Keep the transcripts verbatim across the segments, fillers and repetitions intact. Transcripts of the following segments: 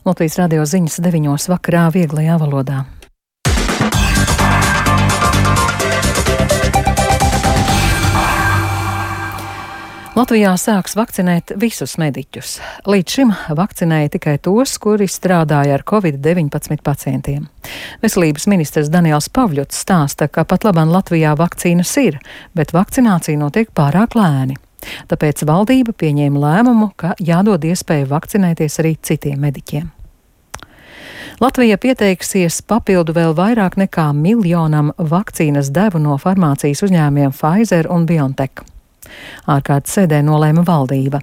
Latvijas radio ziņas deviņos vakarā vieglajā valodā. Latvijā sāks vakcinēt visus mediķus. Līdz šim vakcinēja tikai tos, kuri strādāja ar covid deviņpadsmit pacientiem. Veselības ministrs Daniels Pavļuts stāsta, ka pat labāk Latvijā vakcīnas ir, bet vakcinācija notiek pārāk lēni. Tāpēc valdība pieņēma lēmumu, ka jādod iespēju vakcinēties arī citiem mediķiem. Latvija pieteiksies papildu vēl vairāk nekā miljonam vakcīnas devu no farmācijas uzņēmumiem Pfizer un BioNTech. Ārkārtas sēdē nolēma valdība.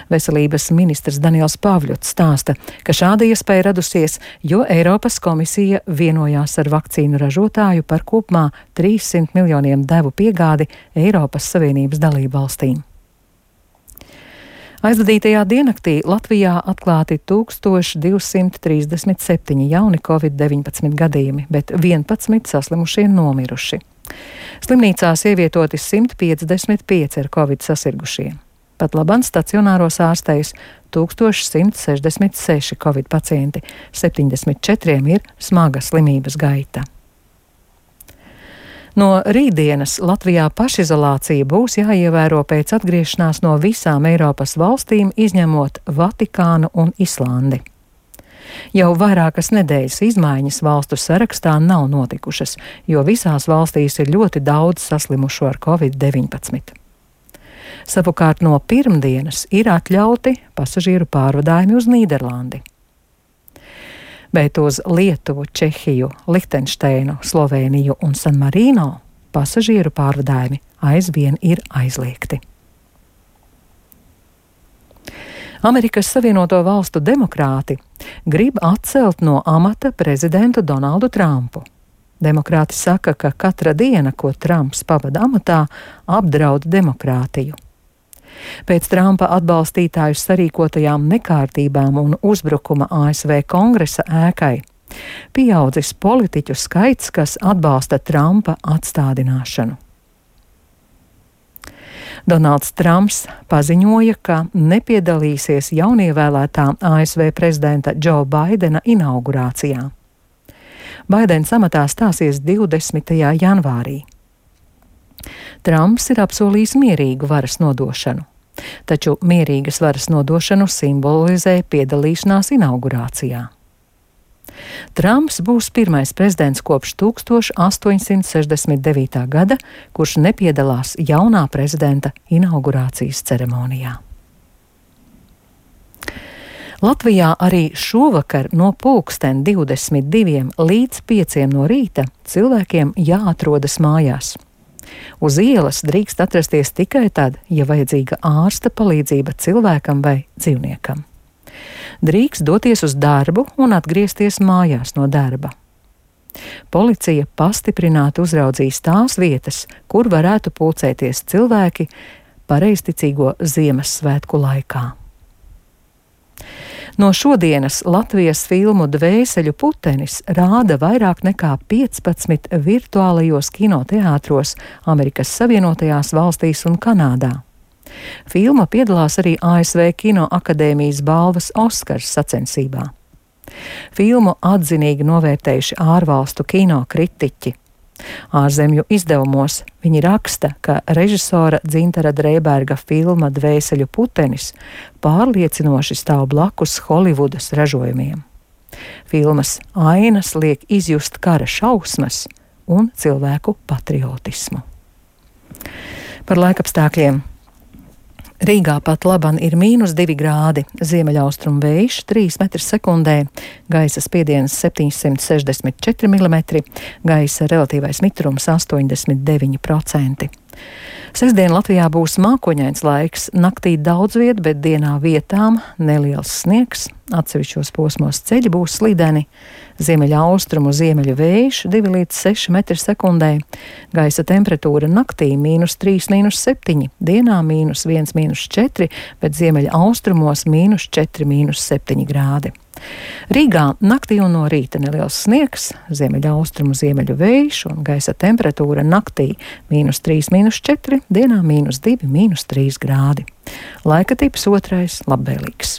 Veselības ministrs Daniels Pavļuts stāsta, ka šāda iespēja radusies, jo Eiropas komisija vienojās ar vakcīnu ražotāju par kopumā trīssimt miljoniem devu piegādi Eiropas Savienības dalību valstīm. Aizvadītajā diennaktī Latvijā atklāti tūkstoš divsimt trīsdesmit septiņi jauni covid deviņpadsmit gadījumi, bet vienpadsmit saslimušie nomiruši. Slimnīcās ievietoti simt piecdesmit pieci ar covid sasirgušie. Pat labāk stacionāros ārstējas tūkstoš simt sešdesmit seši covid pacienti, septiņdesmit četriem ir smaga slimības gaita. No rītdienas Latvijā pašizolācija būs jāievēro pēc atgriešanās no visām Eiropas valstīm, izņemot Vatikānu un Islandi. Jau vairākas nedēļas izmaiņas valstu sarakstā nav notikušas, jo visās valstīs ir ļoti daudz saslimušo ar covid deviņpadsmit. Savukārt no pirmdienas ir atļauti pasažieru pārvadājumi uz Nīderlandi. Bet uz Lietuvu, Čehiju, Lihtenšteinu, Slovēniju un San Marino pasažieru pārvadājumi aizvien ir aizliegti. Amerikas Savienoto Valstu demokrāti grib atcelt no amata prezidentu Donaldu Trumpu. Demokrāti saka, ka katra diena, ko Trumps pavada amatā, apdraud demokrātiju. Pēc Trumpa atbalstītāju sarīkotajām nekārtībām un uzbrukuma A S V Kongresa ēkai pieaudzis politiķu skaits, kas atbalsta Trumpa atstādināšanu. Donalds Trumps paziņoja, ka nepiedalīsies jaunievēlētā A S V prezidenta Džo Baidena inaugurācijā. Baidens amatā stāsies divdesmitajā janvārī. Trumps ir apsolījis mierīgu varas nodošanu, taču mierīgas varas nodošanu simbolizē piedalīšanās inaugurācijā. Trumps būs pirmais prezidents kopš tūkstoš astoņsimt sešdesmit devītā gada, kurš nepiedalās jaunā prezidenta inaugurācijas ceremonijā. Latvijā arī šovakar no pulksten divdesmit diviem līdz pieciem no rīta cilvēkiem jāatrodas mājās. Uz ielas drīkst atrasties tikai tad, ja vajadzīga ārsta palīdzība cilvēkam vai dzīvniekam. Drīkst doties uz darbu un atgriezties mājās no darba. Policija pastiprināti uzraudzīs tās vietas, kur varētu pulcēties cilvēki pareizticīgo Ziemassvētku laikā. No šodienas Latvijas filmu Dvēseļu putenis rāda vairāk nekā piecpadsmit virtuālajos kinoteātros Amerikas Savienotajās valstīs un Kanādā. Filma piedalās arī A S V Kino akadēmijas balvas Oskars sacensībā. Filmu atzinīgi novērtējuši ārvalstu kino kritiķi. Ārzemju izdevumos viņi raksta, ka režisora Dzintara Dreiberga filma Dvēseļu putenis pārliecinoši stāv blakus Holivudas ražojumiem. Filmas ainas liek izjust kara šausmas un cilvēku patriotismu. Par laikapstākļiem. Rīgā pat laban ir mīnus divi grādi, ziemeļaustrumu vējš trīs metri sekundē, gaisa spiediens septiņsimt sešdesmit četri milimetri, gaisa relatīvais mitrums astoņdesmit deviņi procenti. Sestdien Latvijā būs mākoņains laiks, naktī daudz viet, bet dienā vietām neliels sniegs, atsevišķos posmos ceļi būs slideni, ziemeļa austrumu ziemeļu vējš divi līdz seši metri sekundē, gaisa temperatūra naktī mīnus trīs, mīnus septiņi, dienā mīnus viens, mīnus četri, bet ziemeļa austrumos mīnus četri, mīnus septiņi grādi. Rīgā naktī un no rīta neliels sniegs, ziemeļa austrumu ziemeļu vējš un gaisa temperatūra naktī mīnus trīs, mīnus četri, dienā mīnus divi, mīnus trīs grādi. Laika tips otrais labvēlīgs.